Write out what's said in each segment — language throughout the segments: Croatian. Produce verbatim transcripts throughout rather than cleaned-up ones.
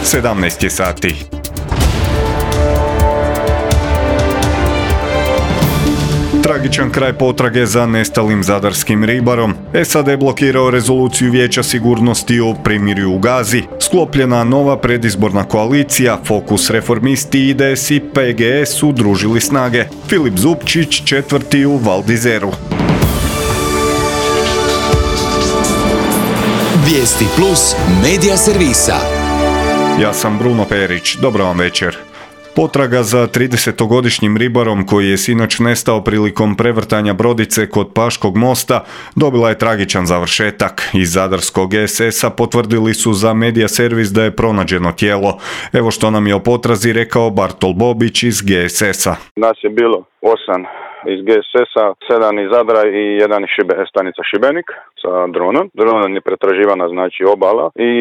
sedamnaest je sati. Tragičan kraj potrage za nestalim zadarskim ribarom. S A D blokirao rezoluciju Vijeća sigurnosti o primirju u Gazi. Sklopljena nova predizborna koalicija, Fokus, Reformisti, I D S i P G S udružili snage. Filip Zupčić četvrti u Val d'Izeru. Vijesti plus medija servisa. Ja sam Bruno Perić, dobro vam večer. Potraga za tridesetogodišnjim ribarom koji je sinoć nestao prilikom prevrtanja brodice kod Paškog mosta dobila je tragičan završetak. Iz zadarskog S S-a potvrdili su za medija servis da je pronađeno tijelo. Evo što nam je o potrazi rekao Bartol Bobić iz G S S-a. Nas je bilo osam iz G S S-a, sedam iz Zadra i jedan iz Šibe, stanica Šibenik sa dronom. Dronom je pretraživana znači obala i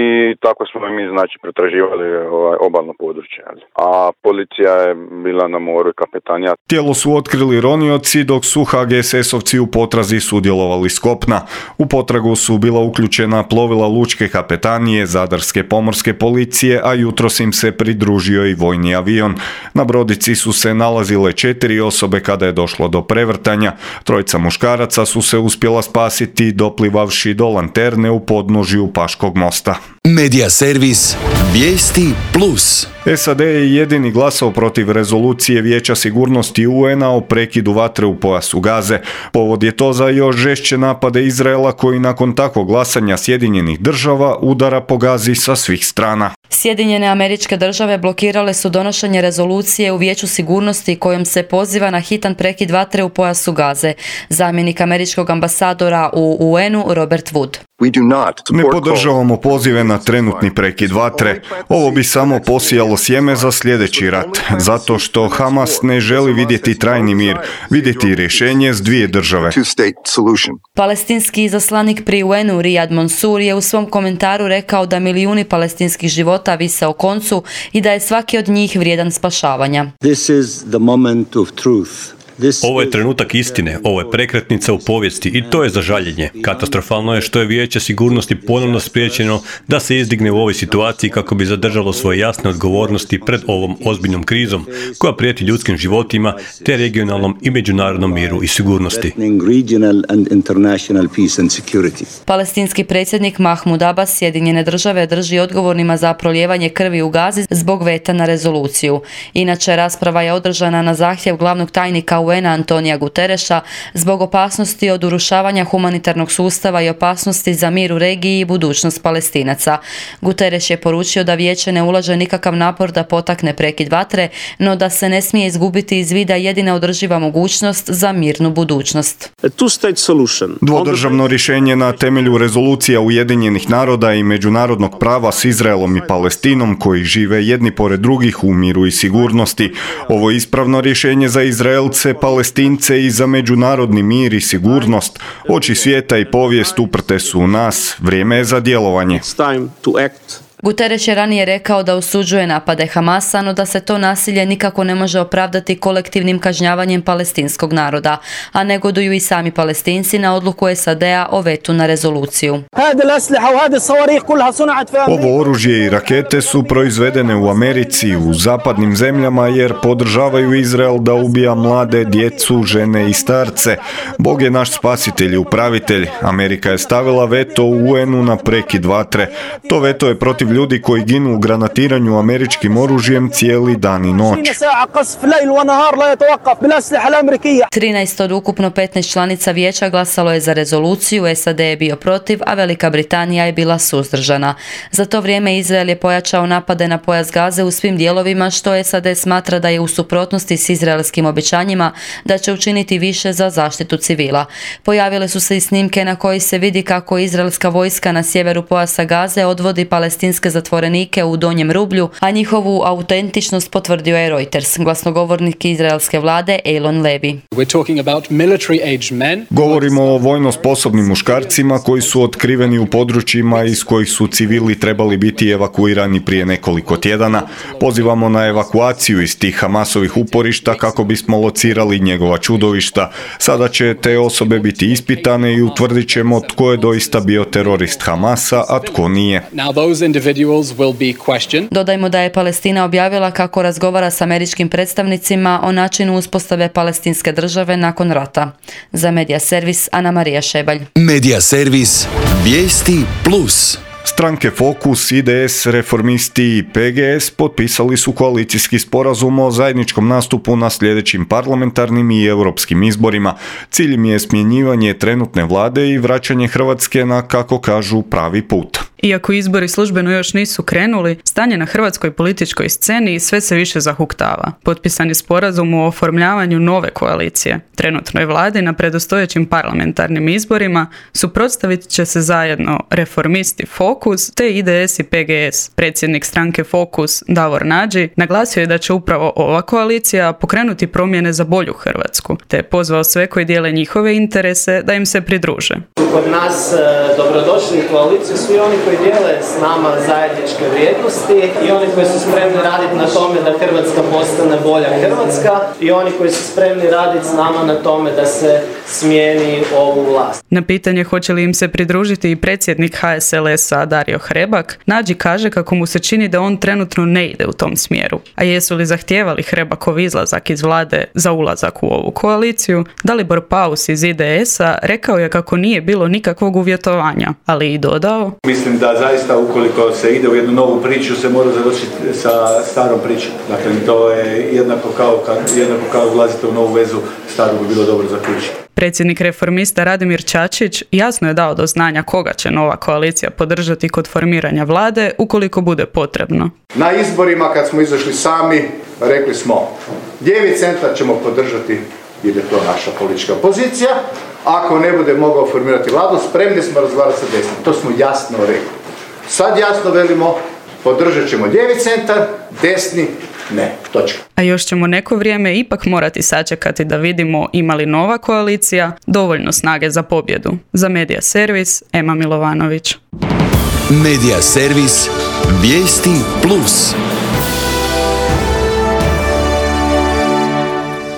tako smo i mi znači pretraživali ovaj, obalno područje. A policija je bila na moru i kapetanija. Tijelo su otkrili ronioci dok su H G S S-ovci u potrazi sudjelovali s kopna. U potragu su bila uključena plovila lučke kapetanije, Zadarske pomorske policije, a jutros im se pridružio i vojni avion. Na brodici su se nalazile četiri osobe kada je došlo do prevrtanja. Trojica muškaraca su se uspjela spasiti doplivavši do lanterne u podnožju Paškog mosta. Medija servis Vijesti plus. S A D je jedini glasao protiv rezolucije Vijeća sigurnosti U N-a o prekidu vatre u pojasu Gaze. Povod je to za još žešće napade Izraela koji nakon takvog glasanja Sjedinjenih država udara po Gazi sa svih strana. Sjedinjene Američke Države blokirale su donošenje rezolucije u Vijeću sigurnosti kojom se poziva na hitan prekid vatre u pojasu Gaze. Zamjenik američkog ambasadora u U N-u Robert Wood. Ne podržavamo pozive na trenutni prekid vatre. Ovo bi samo posijalo sjeme za sljedeći rat, zato što Hamas ne želi vidjeti trajni mir, vidjeti rješenje s dvije države. Palestinski izaslanik pri U N-u Riyad Mansour je u svom komentaru rekao da milijuni palestinskih života vise o koncu i da je svaki od njih vrijedan spašavanja. This is the moment of truth. Ovo je trenutak istine, ovo je prekretnica u povijesti i to je za žaljenje. Katastrofalno je što je Vijeće sigurnosti ponovno spriječeno da se izdigne u ovoj situaciji kako bi zadržalo svoje jasne odgovornosti pred ovom ozbiljnom krizom koja prijeti ljudskim životima te regionalnom i međunarodnom miru i sigurnosti. Palestinski predsjednik Mahmud Abbas Sjedinjene države drži odgovornima za prolijevanje krvi u Gazi zbog veta na rezoluciju. Inače, rasprava je održana na zahtjev glavnog tajnika U N-a Antonija Gutereša zbog opasnosti od urušavanja humanitarnog sustava i opasnosti za mir u regiji i budućnost Palestinaca. Guterres je poručio da vijeće ne ulaže nikakav napor da potakne prekid vatre, no da se ne smije izgubiti iz vida jedina održiva mogućnost za mirnu budućnost. Dvodržavno rješenje na temelju rezolucija Ujedinjenih naroda i međunarodnog prava s Izraelom i Palestinom koji žive jedni pored drugih u miru i sigurnosti. Ovo je ispravno rješenje za Izraelce, Palestince i za međunarodni mir i sigurnost. Oči svijeta i povijest uprte su u nas. Vrijeme je za djelovanje. Guterres je ranije rekao da osuđuje napade Hamasa, no da se to nasilje nikako ne može opravdati kolektivnim kažnjavanjem palestinskog naroda, a negoduju i sami Palestinci na odluku S A D-a o vetu na rezoluciju. Ovo oružje i rakete su proizvedene u Americi, u zapadnim zemljama jer podržavaju Izrael da ubija mlade, djecu, žene i starce. Bog je naš spasitelj i upravitelj. Amerika je stavila veto u U N-u na prekid vatre. To veto je protiv ljudi koji ginu u granatiranju američkim oružjem cijeli dan i noć. trinaest od ukupno petnaest članica vijeća glasalo je za rezoluciju, S A D je bio protiv, a Velika Britanija je bila suzdržana. Za to vrijeme Izrael je pojačao napade na pojas Gaze u svim dijelovima, što S A D smatra da je u suprotnosti s izraelskim obećanjima da će učiniti više za zaštitu civila. Pojavile su se i snimke na koji se vidi kako izraelska vojska na sjeveru pojasa Gaze odvodi palestinske zatvorenike u Donjem Rublju, a njihovu autentičnost potvrdio je Reuters. Glasnogovornik izraelske vlade Eilon Levy. Govorimo o vojno sposobnim muškarcima koji su otkriveni u područjima iz kojih su civili trebali biti evakuirani prije nekoliko tjedana. Pozivamo na evakuaciju iz tih Hamasovih uporišta kako bismo locirali njegova čudovišta. Sada će te osobe biti ispitane i utvrdit ćemo tko je doista bio terorist Hamasa, a tko nije. individuals will be questioned. Dodajmo da je Palestina objavila kako razgovara s američkim predstavnicima o načinu uspostave palestinske države nakon rata. Za Medija servis Ana Marija Šebalj. Medija servis Vijesti plus. Stranke Fokus, I D S, Reformisti i P G S potpisali su koalicijski sporazum o zajedničkom nastupu na sljedećim parlamentarnim i europskim izborima. Cilj im je smjenjivanje trenutne vlade i vraćanje Hrvatske na, kako kažu, pravi put. Iako izbori službeno još nisu krenuli, stanje na hrvatskoj političkoj sceni sve se više zahuktava. Potpisan je sporazum o oformljavanju nove koalicije. Trenutnoj vladi na predstojećim parlamentarnim izborima suprotstavit će se zajedno Reformisti Fokus te I D S i P G S. Predsjednik stranke Fokus Davor Nađi naglasio je da će upravo ova koalicija pokrenuti promjene za bolju Hrvatsku, te je pozvao sve koji dijele njihove interese da im se pridruže. Kod nas e, dobrodošli u koaliciju svi oni koji dijele s nama zajedničke vrijednosti i oni koji su spremni raditi na tome da Hrvatska postane bolja Hrvatska i oni koji su spremni raditi s nama na tome da se smijeni ovu vlast. Na pitanje hoće li im se pridružiti i predsjednik H S L S-a Dario Hrebak, Nađi kaže kako mu se čini da on trenutno ne ide u tom smjeru. A jesu li zahtijevali Hrebakov izlazak iz vlade za ulazak u ovu koaliciju, Dalibor Paus iz I D S-a rekao je kako nije bilo nikakvog uvjetovanja, ali i dodao: Mislim da zaista ukoliko se ide u jednu novu priču se mora završiti sa starom pričom. Dakle, to je jednako kao kad jednako kao ulazite u novu vezu, staru bi bilo dobro zaključiti. Predsjednik Reformista Radimir Čačić jasno je dao do znanja koga će nova koalicija podržati kod formiranja vlade ukoliko bude potrebno. Na izborima kad smo izašli sami rekli smo lijevi centar ćemo podržati jer je to naša politička pozicija. Ako ne bude mogao formirati vladu, spremni smo razgovarati sa desnim. To smo jasno rekli. Sad jasno velimo, podržat ćemo lijevi centar, desni ne. Točka. A još ćemo neko vrijeme ipak morati sačekati da vidimo ima li nova koalicija dovoljno snage za pobjedu. Za Medija servis, Ema Milovanović. Medija servis Vijesti plus.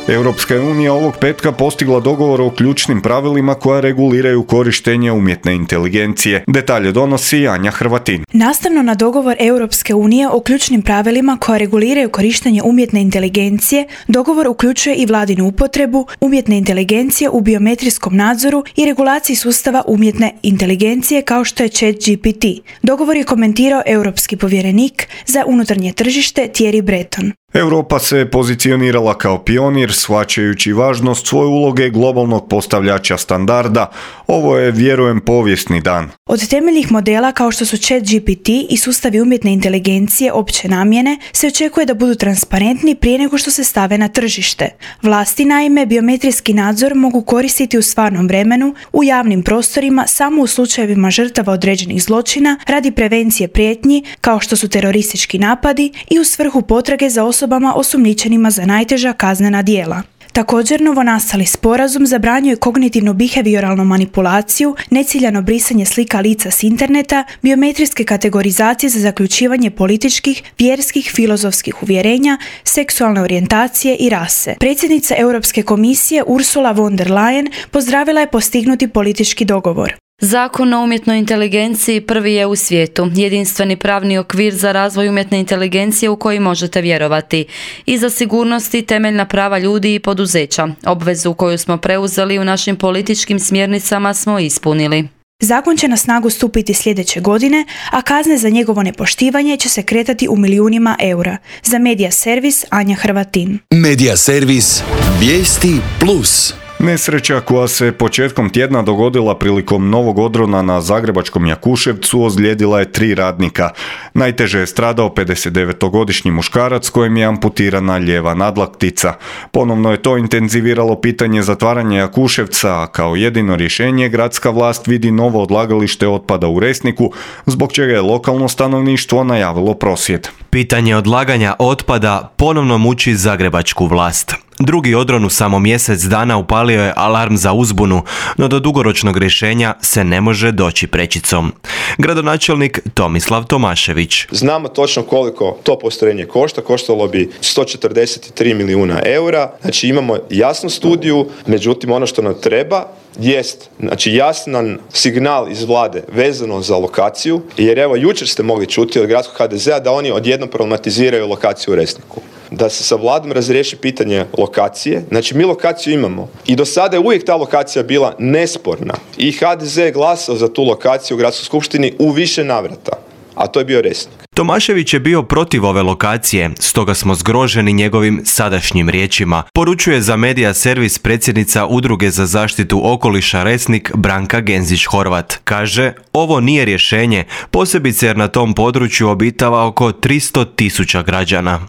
Europska unija ovog petka postigla dogovor o ključnim pravilima koja reguliraju korištenje umjetne inteligencije. Detalje donosi Anja Hrvatin. Nastavno na dogovor Europske unije o ključnim pravilima koja reguliraju korištenje umjetne inteligencije, dogovor uključuje i vladinu upotrebu umjetne inteligencije u biometrijskom nadzoru i regulaciji sustava umjetne inteligencije kao što je ChatGPT. Dogovor je komentirao europski povjerenik za unutarnje tržište Thierry Breton. Europa se pozicionirala kao pionir, shvaćajući važnost svoje uloge globalnog postavljača standarda. Ovo je, vjerujem, povijesni dan. Od temeljnih modela kao što su ChatGPT i sustavi umjetne inteligencije opće namjene se očekuje da budu transparentni prije nego što se stave na tržište. Vlasti naime biometrijski nadzor mogu koristiti u stvarnom vremenu, u javnim prostorima samo u slučajevima žrtava određenih zločina radi prevencije prijetnji kao što su teroristički napadi i u svrhu potrage za osobama osumnjičenima za najteža kaznena djela. Također, novonastali sporazum zabranjuje kognitivno-behavioralnu manipulaciju, neciljano brisanje slika lica s interneta, biometrijske kategorizacije za zaključivanje političkih, vjerskih, filozofskih uvjerenja, seksualne orijentacije i rase. Predsjednica Europske komisije Ursula von der Leyen pozdravila je postignuti politički dogovor. Zakon o umjetnoj inteligenciji prvi je u svijetu, jedinstveni pravni okvir za razvoj umjetne inteligencije u koji možete vjerovati. I za sigurnost i temeljna prava ljudi i poduzeća. Obvezu koju smo preuzeli u našim političkim smjernicama smo ispunili. Zakon će na snagu stupiti sljedeće godine, a kazne za njegovo nepoštivanje će se kretati u milijunima eura. Za Medija servis, Anja Hrvatin. Medija servis Vijesti plus. Nesreća koja se početkom tjedna dogodila prilikom novog odrona na zagrebačkom Jakuševcu ozlijedila je tri radnika. Najteže je stradao pedesetdevetogodišnji muškarac kojem je amputirana lijeva nadlaktica. Ponovno je to intenziviralo pitanje zatvaranja Jakuševca, a kao jedino rješenje gradska vlast vidi novo odlagalište otpada u Resniku, zbog čega je lokalno stanovništvo najavilo prosvjed. Pitanje odlaganja otpada ponovno muči zagrebačku vlast. Drugi odron u samo mjesec dana upalio je alarm za uzbunu, no do dugoročnog rješenja se ne može doći prečicom. Gradonačelnik Tomislav Tomašević. Znamo točno koliko to postrojenje košta, koštalo bi sto četrdeset tri milijuna eura, znači imamo jasnu studiju, međutim ono što nam treba jest, znači jasan signal iz vlade vezano za lokaciju, jer evo jučer ste mogli čuti od gradskog ha de zea da oni odjednom problematiziraju lokaciju u Resniku. Da se sa vladom razriješi pitanje lokacije, znači mi lokaciju imamo i do sada je uvijek ta lokacija bila nesporna i ha de ze je glasao za tu lokaciju u gradskoj skupštini u više navrata, a to je bio Resnik. Tomašević je bio protiv ove lokacije, stoga smo zgroženi njegovim sadašnjim riječima, poručuje za Medija servis predsjednica Udruge za zaštitu okoliša Resnik Branka Genzić-Horvat. Kaže, ovo nije rješenje, posebice jer na tom području obitava oko tristo tisuća građana.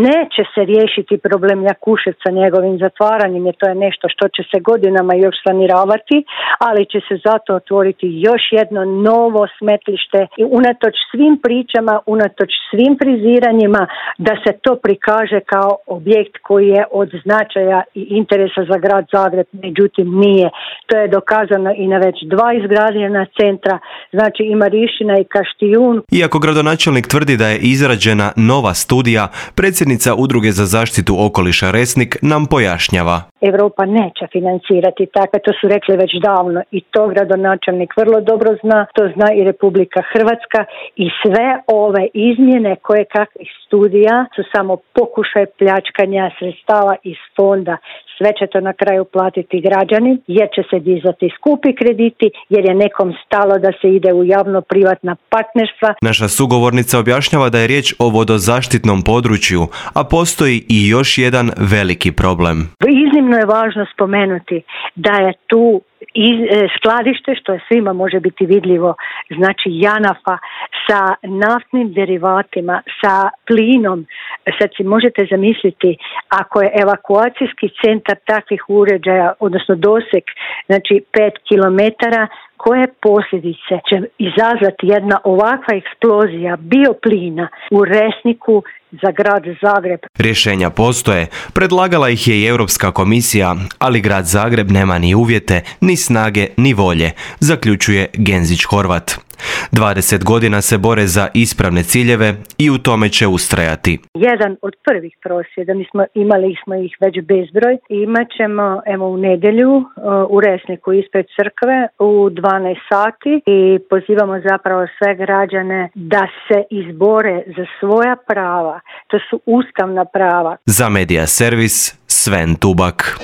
Neće se riješiti problem Jakuševca njegovim zatvaranjem, jer to je nešto što će se godinama još saniravati, ali će se zato otvoriti još jedno novo smetlište i unatoč svim pričama, unatoč svim friziranjima, da se to prikaže kao objekt koji je od značaja i interesa za grad Zagreb, međutim nije. To je dokazano i na već dva izgrađena centra, znači i Marišina i Kaštijun. Iako gradonačelnik tvrdi da je izrađena nova studija, predsjednica Udruge za zaštitu okoliša Resnik nam pojašnjava. Europa neće financirati takve, to su rekli već davno i to gradonačelnik vrlo dobro zna, to zna i Republika Hrvatska i sve ove izmjene koje kakvih studija su samo pokušaj pljačkanja sredstava iz fonda. Sve će to na kraju platiti građani jer će se dizati skupi krediti jer je nekom stalo da se ide u javno-privatna partnerstva. Naša sugovornica objašnjava da je riječ o vodozaštitnom području, a postoji i još jedan veliki problem. Iznimno je važno spomenuti da je tu i skladište, što je svima može biti vidljivo, znači Janafa sa naftnim derivatima, sa plinom. Sad si možete zamisliti ako je evakuacijski centar takvih uređaja, odnosno doseg, znači pet kilometara, koje posljedice će izazvati jedna ovakva eksplozija bioplina u Resniku za grad Zagreb. Rješenja postoje, predlagala ih je i Europska komisija, ali grad Zagreb nema ni uvjete, ni snage, ni volje, zaključuje Genzić-Horvat. dvadeset godina se bore za ispravne ciljeve i u tome će ustrajati. Jedan od prvih prosvjeda, mi smo imali smo ih već bezbroj, imat ćemo evo u nedjelju u Resniku ispred crkve u dvanaest sati i pozivamo zapravo sve građane da se izbore za svoja prava. To su ustavna prava. Za Medija servis Sven Tubak.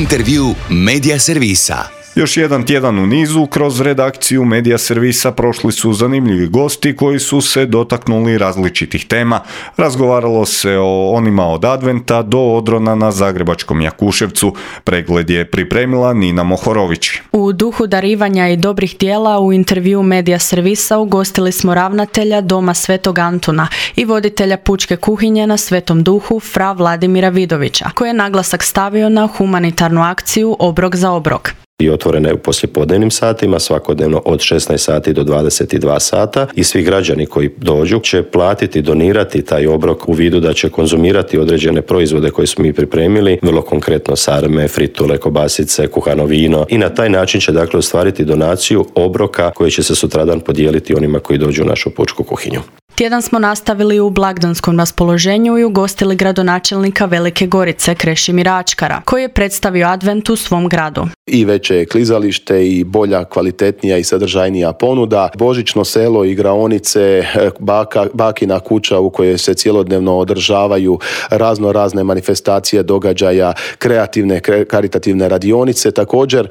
Intervju Medija servisa. Još jedan tjedan u nizu, kroz redakciju Medija servisa prošli su zanimljivi gosti koji su se dotaknuli različitih tema. Razgovaralo se o onima od adventa do odrona na zagrebačkom Jakuševcu. Pregled je pripremila Nina Mohorović. U duhu darivanja i dobrih djela u intervju Medija servisa ugostili smo ravnatelja Doma Svetog Antuna i voditelja pučke kuhinje na Svetom Duhu fra Vladimira Vidovića, koji je naglasak stavio na humanitarnu akciju Obrok za obrok. I otvorene u poslijepodnevnim satima, svakodnevno od šesnaest sati do dvadeset dva sata i svi građani koji dođu će platiti, donirati taj obrok u vidu da će konzumirati određene proizvode koje smo mi pripremili, vrlo konkretno sarme, fritule, kobasice, kuhano vino i na taj način će dakle ostvariti donaciju obroka koji će se sutradan podijeliti onima koji dođu u našu pučku kuhinju. Tjedan smo nastavili u blagdanskom raspoloženju i ugostili gradonačelnika Velike Gorice Krešimira Ačkara, koji je predstavio advent u svom gradu. I veće klizalište i bolja, kvalitetnija i sadržajnija ponuda, božićno selo, igraonice, baka, bakina kuća u kojoj se cjelodnevno održavaju razno razne manifestacije, događaja, kreativne, karitativne radionice, također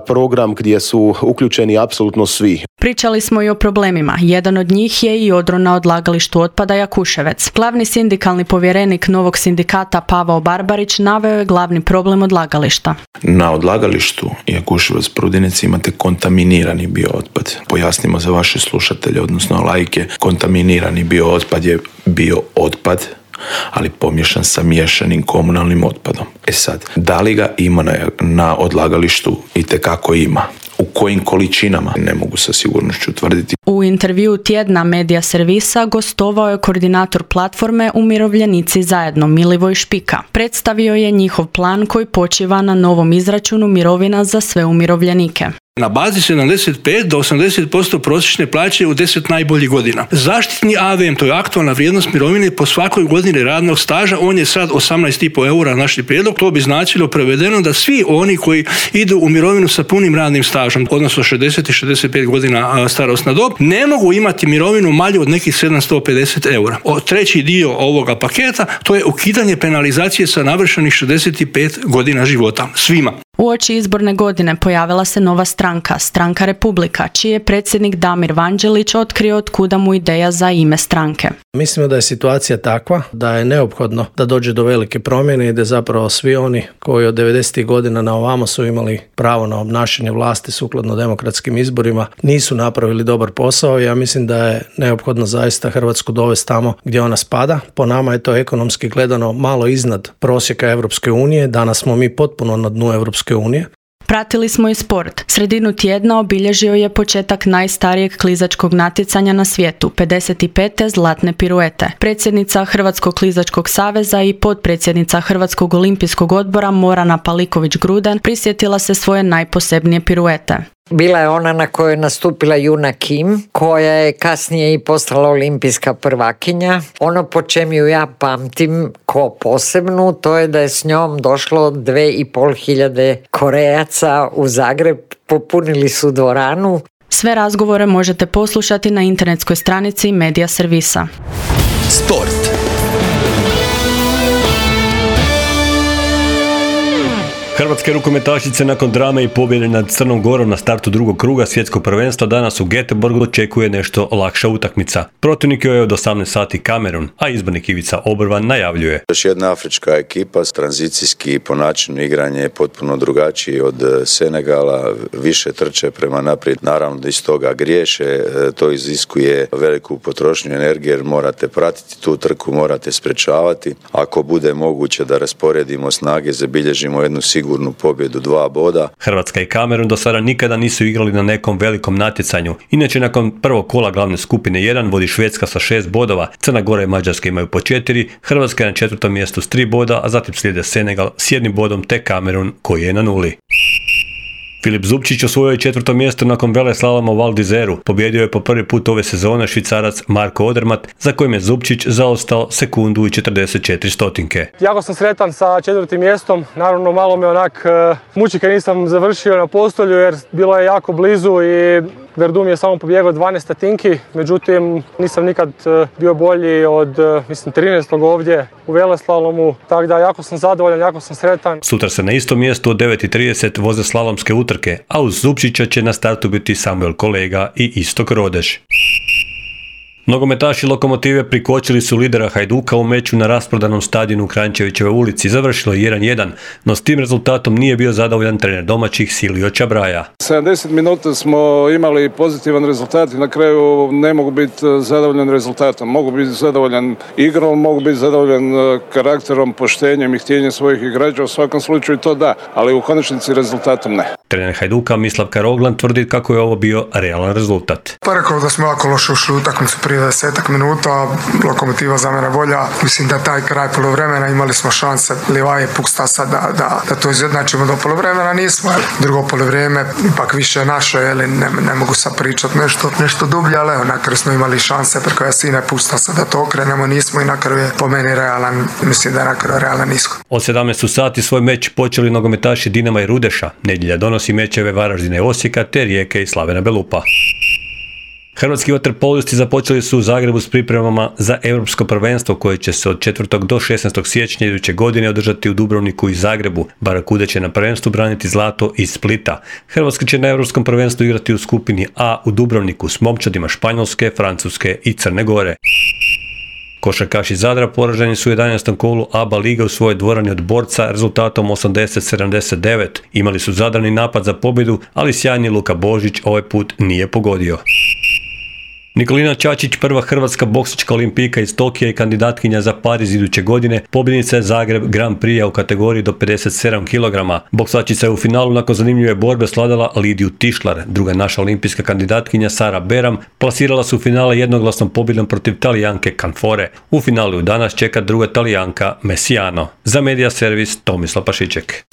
program gdje su uključeni apsolutno svi. Pričali smo i o problemima. Jedan od njih je i odron na odlagalištu otpada Jakuševec. Glavni sindikalni povjerenik novog sindikata Pavao Barbarić naveo je glavni problem odlagališta. Na odlagalištu Jakuševac Prudinec imate kontaminirani biootpad. Pojasnimo za vaše slušatelje, odnosno laike, kontaminirani biootpad je biootpad, ali pomiješan sa miješanim komunalnim otpadom. E sad, da li ga ima na, na odlagalištu? Itekako ima. U kojim količinama ne mogu sa sigurnošću tvrditi. U intervju tjedna Medija servisa gostovao je koordinator platforme Umirovljenici zajedno Milivoj Špika. Predstavio je njihov plan koji počiva na novom izračunu mirovina za sve umirovljenike. Na bazi sedamdeset pet do osamdeset posto prosječne plaće u deset najboljih godina. Zaštitni A V M, to je aktualna vrijednost mirovine po svakoj godini radnog staža, on je sad osamnaest i pol eura naš prijedlog. To bi značilo prevedeno da svi oni koji idu u mirovinu sa punim radnim stažom, odnosno šezdeset i šezdeset pet godina starosna dob, ne mogu imati mirovinu manju od nekih sedamsto pedeset eura. O, treći dio ovoga paketa, to je ukidanje penalizacije sa navršenih šezdeset pet godina života. Svima. Uoči izborne godine pojavila se nova stranka, Stranka Republika, čiji je predsjednik Damir Vanđelić otkrio od kuda mu ideja za ime stranke. Mislimo da je situacija takva da je neophodno da dođe do velike promjene i da zapravo svi oni koji od devedesetih godina na ovamo su imali pravo na obnašanje vlasti sukladno demokratskim izborima nisu napravili dobar posao. Ja mislim da je neophodno zaista Hrvatsku dovesti tamo gdje ona spada. Po nama je to ekonomski gledano malo iznad prosjeka Europske unije. Danas smo mi potpuno na dnu Europske unije. Pratili smo i sport. Sredinu tjedna obilježio je početak najstarijeg klizačkog natjecanja na svijetu, pedeset pete zlatne piruete. Predsjednica Hrvatskog klizačkog saveza i potpredsjednica Hrvatskog olimpijskog odbora Morana Paliković-Gruden prisjetila se svoje najposebnije piruete. Bila je ona na kojoj je nastupila Juna Kim, koja je kasnije i postala olimpijska prvakinja. Ono po čem ju ja pamtim ko posebnu, to je da je s njom došlo dve i pol hiljade Korejaca u Zagreb, popunili su dvoranu. Sve razgovore možete poslušati na internetskoj stranici Medija servisa. Sport. Hrvatske rukometašice nakon drame i pobjede nad Crnom Gorom na startu drugog kruga svjetskog prvenstva danas u Göteborgu očekuje nešto lakša utakmica. Protivnik je od osamnaest sati Kamerun, a izbornik Ivica Obrvan najavljuje. Još jedna afrička ekipa, tranzicijski po načinu igranja je potpuno drugačiji od Senegala, više trče prema naprijed, naravno da iz toga griješe, to iziskuje veliku potrošnju energije jer morate pratiti tu trku, morate sprečavati. Ako bude moguće da rasporedimo snage, zabilježimo jednu sigurnu pobjedu, dva boda. Hrvatska i Kamerun do sada nikada nisu igrali na nekom velikom natjecanju. Inače, nakon prvog kola glavne skupine jedan vodi Švedska sa šest bodova, Crna Gora i Mađarska imaju po četiri, Hrvatska je na četvrtom mjestu s tri boda, a zatim slijede Senegal s jednim bodom te Kamerun koji je na nuli. Filip Zubčić osvojio je četvrto mjesto nakon veleslaloma u Val d'Izeru. Pobjedio je po prvi put ove sezone Švicarac Marko Odermatt, za kojim je Zubčić zaostao sekundu i četrdeset četiri stotinke. Jako sam sretan sa četvrtim mjestom, naravno malo me onak muči kad nisam završio na postolju jer bilo je jako blizu i Verdum je samo pobjegao dvanaest stotinki, međutim nisam nikad bio bolji od mislim trinaestog ovdje u veleslalomu, tako da jako sam zadovoljan, jako sam sretan. Sutra se na istom mjestu od devet i trideset voze slalomske utrke, a uz Zubčića će na startu biti Samuel Kolega i Istok Rodeš. Nogometaši Lokomotive prikočili su lidera Hajduka u meču na rasprodanom stadionu u Kranjčevićeve ulici. Završilo je jedan jedan, no s tim rezultatom nije bio zadovoljan trener domaćih Silio Čabraja. sedamdeset minuta smo imali pozitivan rezultat i na kraju ne mogu biti zadovoljan rezultatom. Mogu biti zadovoljan igrom, mogu biti zadovoljan karakterom, poštenjem i htjenjem svojih igrača. U svakom slučaju to da, ali u konačnici rezultatom ne. Trener Hajduka Mislav Karoglan tvrdi kako je ovo bio realan rezultat. Pa rekao da smo jako loše ušli u utakmicu prije desetak minuta, Lokomotiva za mene bolja. Mislim da taj kraj poluvremena imali smo šanse Livaje Pukstasa da, da, da to izjednačimo do poluvremena, nismo. Drugo poluvrijeme ipak više naše, ali ne, ne mogu sad pričati nešto, nešto dublje, ali evo, na kraju smo imali šanse preko Jasine Pukstasa da to okrenemo, nismo i na kraju je po meni realan, mislim da je na kraju realan ishod. Od sedamnaest sati svoj meč počeli nogometaši Dinama i Rudeša. Nedjelja donosi mečeve Varaždina i Osijeka te Rijeke i Slavena Belupa. Hrvatski vaterpolisti započeli su u Zagrebu s pripremama za europsko prvenstvo koje će se od četvrtog do šesnaestog siječnja iduće godine održati u Dubrovniku i Zagrebu. Barakude će na prvenstvu braniti zlato iz Splita. Hrvatska će na europskom prvenstvu igrati u skupini A u Dubrovniku s momčadima Španjolske, Francuske i Crne Gore. Košarkaši Zadra poraženi su u jedanaestom kolu A B A lige u svojoj dvorani od Borca rezultatom osamdeset sedamdeset devet. Imali su zadrani napad za pobjedu, ali sjajni Luka Božić ovaj put nije pogodio. Nikolina Čačić, prva hrvatska boksačka olimpijka iz Tokija i kandidatkinja za Pariz iduće godine, pobjednica je Zagreb Grand Prix u kategoriji do pedeset sedam kilograma. Boksačica je u finalu nakon zanimljive borbe sladala Lidiju Tišlar. Druga naša olimpijska kandidatkinja Sara Beram plasirala su u finale jednoglasnom pobjedom protiv Talijanke Canfore. U finalu danas čeka druga Talijanka Messiano. Za Media Servis Tomislav Pašiček.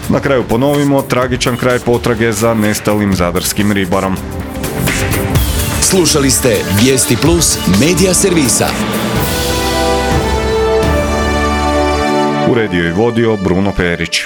Na kraju ponovimo, tragičan kraj potrage za nestalim zadarskim ribarom. Slušali ste Vijesti Plus Media Servisa. Uredio i vodio Bruno Perić.